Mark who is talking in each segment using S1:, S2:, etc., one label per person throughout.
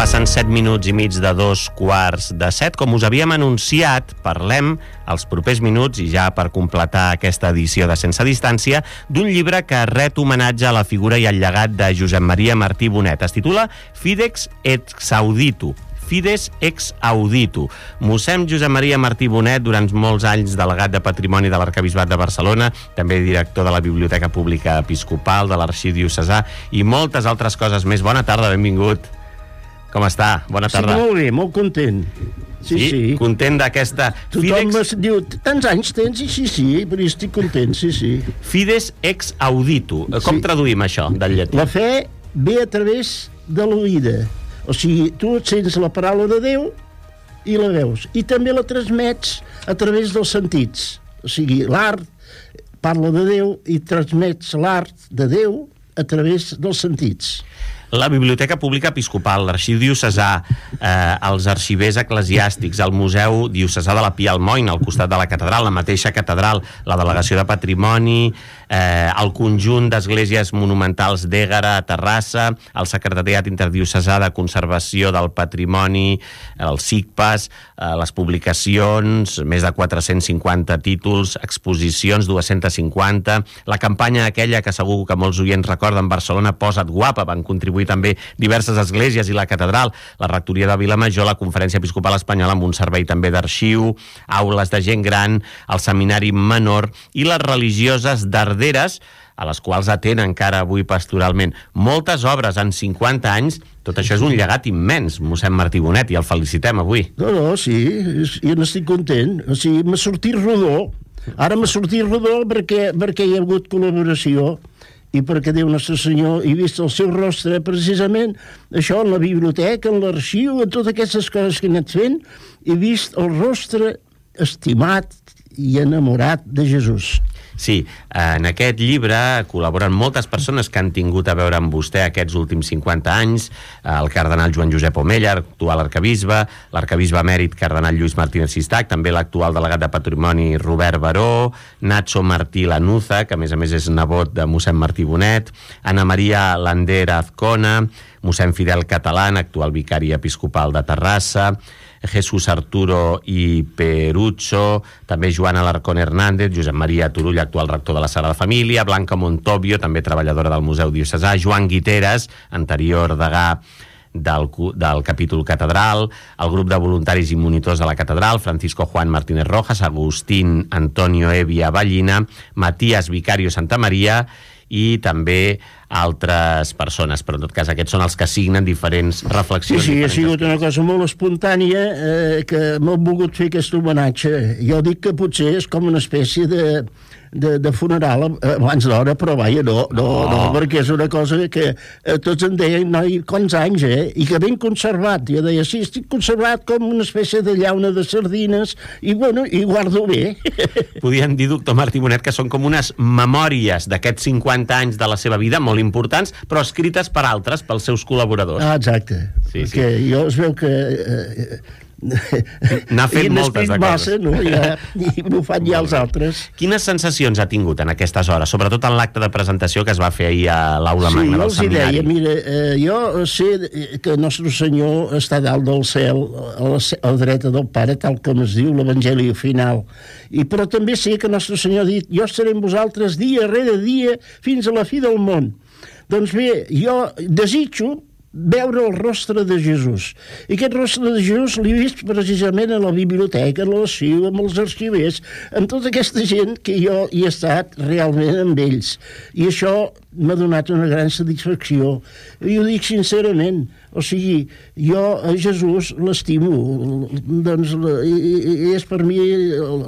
S1: Passen 7 minuts i mig de 2:15. Com us havíem anunciat, parlem els propers minuts, i ja per completar aquesta edició de Sense Distància, d'un llibre que ret homenatge a la figura i al llegat de Josep Maria Martí Bonet. Es titula Fides ex Auditu. Fides ex Auditu. Mossèn Josep Maria Martí Bonet, durant molts anys delegat de Patrimoni de l'Arquebisbat de Barcelona, també director de la Biblioteca Pública Episcopal, de l'Arxiu Diocesà i moltes altres coses més. Bona tarda, benvingut. Com està? Bona tarda.
S2: Sí, molt bé, molt content. Sí.
S1: Content d'aquesta...
S2: Tothom diu, tants anys tens? I sí, però estic content, sí.
S1: Fides ex Auditu. Com traduïm això del llatí?
S2: La fe ve a través de l'oïda. O sigui, tu et sents la paraula de Déu i la veus. I també la transmets a través dels sentits. O sigui, l'art parla de Déu i transmets l'art de Déu a través dels sentits.
S1: La Biblioteca Pública Episcopal, l'Arxiu Diocesà, els arxivers eclesiàstics, el Museu Diocesà de la Pia Almoina, al costat de la catedral, la mateixa catedral, la Delegació de Patrimoni, el conjunt d'esglésies monumentals d'Ègara a Terrassa, el Secretariat Interdiocesà de Conservació del Patrimoni, el SICPAS, les publicacions, més de 450 títols, exposicions, 250, la campanya aquella que segur que molts oients recorden, Barcelona Posa't Guapa, van contribuir també diverses esglésies i la catedral, la rectoria de Vilamajor, la Conferència Episcopal Espanyola amb un servei també d'arxiu, aules de gent gran, el seminari menor i les religioses d'Arderes, a les quals atén encara avui pastoralment. Moltes obres en 50 anys, tot això és un llegat immens, mossèn Martí Bonet, i el felicitem avui.
S2: No, sí, jo n'estic content. O sigui, m'ha sortit rodó. Ara m'ha sortit rodó perquè hi ha hagut col·laboració i perquè Déu Nostre Senyor he vist el seu rostre, precisament això, en la biblioteca, en l'arxiu, en totes aquestes coses que he anat fent, he vist el rostre estimat i enamorat de Jesús.
S1: Sí, en aquest llibre col·laboren moltes persones que han tingut a veure amb vostè aquests últims 50 anys, el cardenal Joan Josep Omella, actual arquebisbe, l'arquebisbe emèrit cardenal Lluís Martínez Sistac, també l'actual delegat de Patrimoni Robert Baró, Nacho Martí Lanuza, que a més és nebot de mossèn Martí Bonet, Ana Maria Lander Azcona, mossèn Fidel Catalán, actual vicari episcopal de Terrassa, Jesús Arturo i Perucho, també Joan Alarcón Hernández, Josep Maria Turull, actual rector de la Sagrada Família, Blanca Montovio, també treballadora del Museu Diocesà, Joan Guiteres, anterior degà del capítol catedral, el grup de voluntaris i monitors de la catedral, Francisco Juan Martínez Rojas, Agustín Antonio Evia Ballina, Matías Vicario Santamaria i també altres persones, però en tot cas aquests són els que signen diferents reflexions.
S2: Sí, ha sigut una cosa molt espontània que m'ha volgut fer aquest homenatge. Jo dic que potser és com una espècie de funeral abans d'hora, però vaja, no, perquè és una cosa que tots em deien, noi, quants anys, i que ben conservat. Jo deia, sí, estic conservat com una espècie de llauna de sardines i, bueno, i guardo bé.
S1: Podríem dir, doctor Martí Bonet, que són com unes memòries d'aquests 50 anys de la seva vida, molt importants, però escrites per altres, pels seus col·laboradors.
S2: Ah, exacte.
S1: Sí.
S2: Perquè jo es veu que...
S1: n'ha fet moltes de coses.
S2: No? I m'ho fan ja els altres.
S1: Quines sensacions ha tingut en aquestes hores, sobretot en l'acte de presentació que es va fer ahir a l'Aula Magna del Seminari?
S2: Sí, jo els deia, mira, jo sé que Nostre Senyor està dalt del cel, a la dreta del Pare, tal com es diu l'Evangeli final, però també sé que Nostre Senyor ha dit, jo estaré amb vosaltres dia rere dia fins a la fi del món. Doncs bé, jo desitjo veure el rostre de Jesús. I aquest rostre de Jesús l'he vist precisament a la biblioteca, a l'arxiu, amb els arxivers, amb tota aquesta gent que jo hi he estat realment amb ells. I això m'ha donat una gran satisfacció. I ho dic sincerament. O sigui, jo a Jesús l'estimo. Doncs és per mi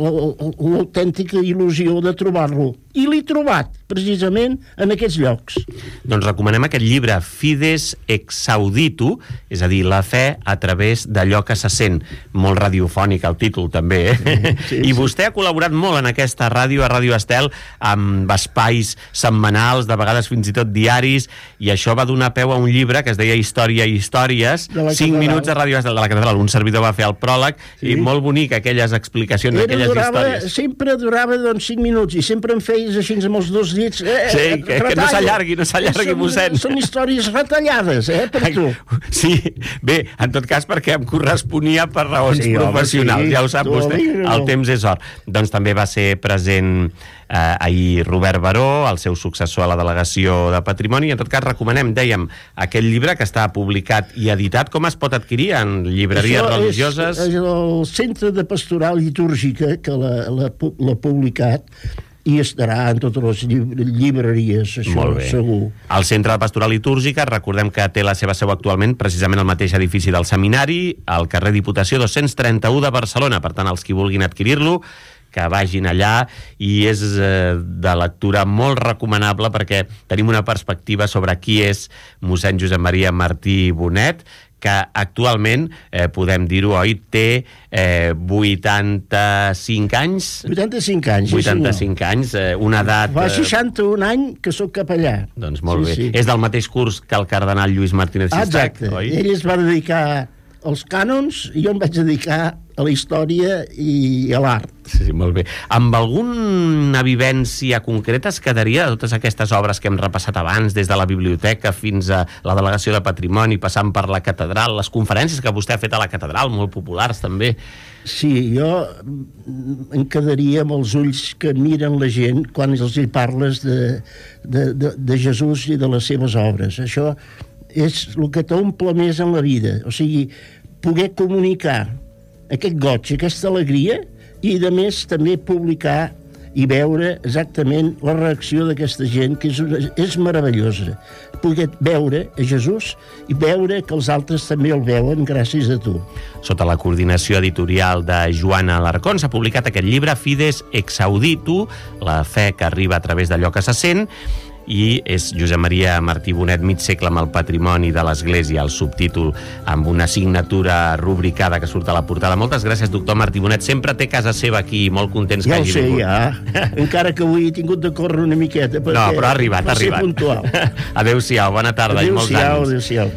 S2: l'autèntica il·lusió de trobar-lo. I l'he trobat, precisament, en aquests llocs.
S1: Doncs recomanem aquest llibre, Fides ex Auditu, és a dir, la fe a través d'allò que se sent. Molt radiofònic el títol, també, Sí. I vostè ha col·laborat molt en aquesta ràdio, a Ràdio Estel, amb espais setmanals, de vegades vegades fins i tot diaris, i això va donar peu a un llibre que es deia Història i Històries, 5 minuts de ràdio de la catedral. Un servidor va fer el pròleg, i molt bonic aquelles explicacions, aquelles històries.
S2: Sempre durava 5 minuts, i sempre em feies així amb els dos dits.
S1: Sí, que no s'allargui, mossèn.
S2: Són històries retallades, per tu.
S1: Sí, bé, en tot cas perquè em corresponia per raons professionals, ja ho sap vostè, el temps és or. Doncs també va ser present ahir Robert Baró, el seu successor a la Delegació de Patrimoni. En tot cas, recomanem, dèiem, aquest llibre que està publicat i editat. Com es pot adquirir en llibreries religioses?
S2: És el Centre de Pastoral Litúrgica que l'ha publicat, i estarà en totes les llibreries, això, segur.
S1: El Centre de Pastoral Litúrgica, recordem que té la seva seu actualment precisament al mateix edifici del Seminari, al carrer Diputació 231 de Barcelona. Per tant, els qui vulguin adquirir-lo, que vagin allà, i és de lectura molt recomanable perquè tenim una perspectiva sobre qui és mossèn Josep Maria Martí Bonet, que actualment, podem dir-ho, oi, té 85 anys.
S2: 85 anys,
S1: 85 anys, una edat...
S2: Fa 61 anys que sóc capellà.
S1: Doncs molt bé. És del mateix curs que el cardenal Lluís Martínez Xistach, oi?
S2: Ell es va dedicar als cànons i jo em vaig dedicar a la història i a l'art.
S1: Sí, molt bé. Amb alguna vivència concreta es quedaria de totes aquestes obres que hem repassat abans, des de la biblioteca fins a la Delegació de Patrimoni, passant per la catedral, les conferències que vostè ha fet a la catedral, molt populars també?
S2: Sí, jo em quedaria amb els ulls que miren la gent quan els hi parles de Jesús i de les seves obres. Això és el que t'omple més en la vida, o sigui, poder comunicar aquest goig, aquesta alegria, i a més també publicar i veure exactament la reacció d'aquesta gent, que és meravellosa, poder veure a Jesús i veure que els altres també el veuen gràcies a tu.
S1: Sota la coordinació editorial de Joana Alarcón s'ha publicat aquest llibre, Fides ex auditu, la fe que arriba a través d'allò que se sent, i és Josep Maria Martí Bonet, mig segle amb el patrimoni de l'Església, el subtítol amb una signatura rubricada que surt a la portada. Moltes gràcies, doctor Martí Bonet. Sempre té casa seva aquí, molt contents que hagi vingut.
S2: Ja ho sé, encara que avui he tingut de córrer una miqueta, perquè
S1: no, però ha arribat,
S2: va ser puntual.
S1: Adéu-siau, bona tarda i molts anys.
S2: Adéu-siau.